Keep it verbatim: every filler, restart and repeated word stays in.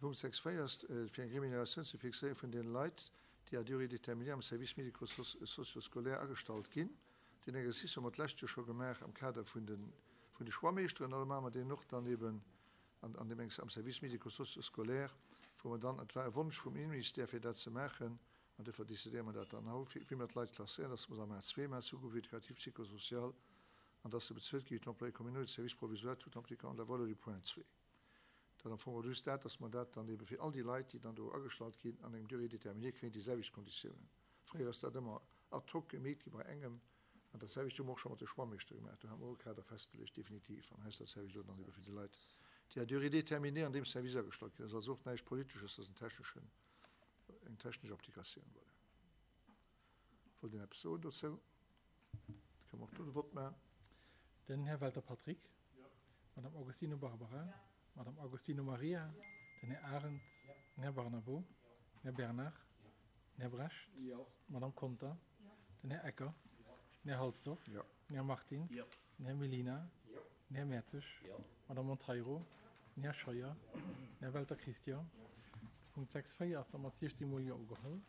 De Punkt sechs véier ass, fir eng Remuneratioun ze fixéiere vun deene Leit, déi à durée déterminée am Service médico-socio-scolaire agestallt ginn. Deen Exercice hu mer d'lescht Joer scho gemaach am Kader vun de, vun de Schwammeeschteren. An elo maache mer deen och dann eben an, an deem am Service médico-socio-scolaire, wou mer dann, et war e Wonsch vum Innenministère, fir dat ze maachen, an duerfir decidéiere mer dat dann haut, wéi mer d'Leit klasséieren, dass mer se am A zwee maachen, Sous-groupe éducatif psychosocial, an dass se bezuelt gi wéi d'Employés communaux de service provisoire, tout en appliquant la valeur du point zwee. Dat am Fong och just dat, dass mer dat dann ebe fir all déi Leit, déi dann do agestallt ginn, an engem Durée déterminée, kréien déi selwecht Konditiounen. Fréier ass dat ëmmer ad hoc gemeet gi bei engem, an dat selwecht hu mer och scho mat de Schwammeeschtere gemaach. Do hu mer och e Kader festgeluecht, definitiv, an hei ass dat selwecht elo dann ebe fir déi Leit, déi à durée déterminée an deem Service agestallt ginn. Dat ass also och näischt Politesches, dat ass en techneschen, eng technesch Applikatioun. Voilà. Wollt een eppes soen dozou? Da kënne mer och do de Vott maachen. Den Här Welter Patrick. Madame Augustino Barbara. Madame Augustino Maria. Den Här Arendt. Den Här Barnabo. Den Här Bernard. Den Här Brecht. Madame Conter. Den Här Ecker. Den Här Halsdorf. Den Här Martins. Den Här Mellina. Den Här Mertzig. Madame Monteiro. Den Här Scheuer. Den Här Welter Christian. Punkt sechs véier ass da mat siechzéng Mol Jo ugeholl.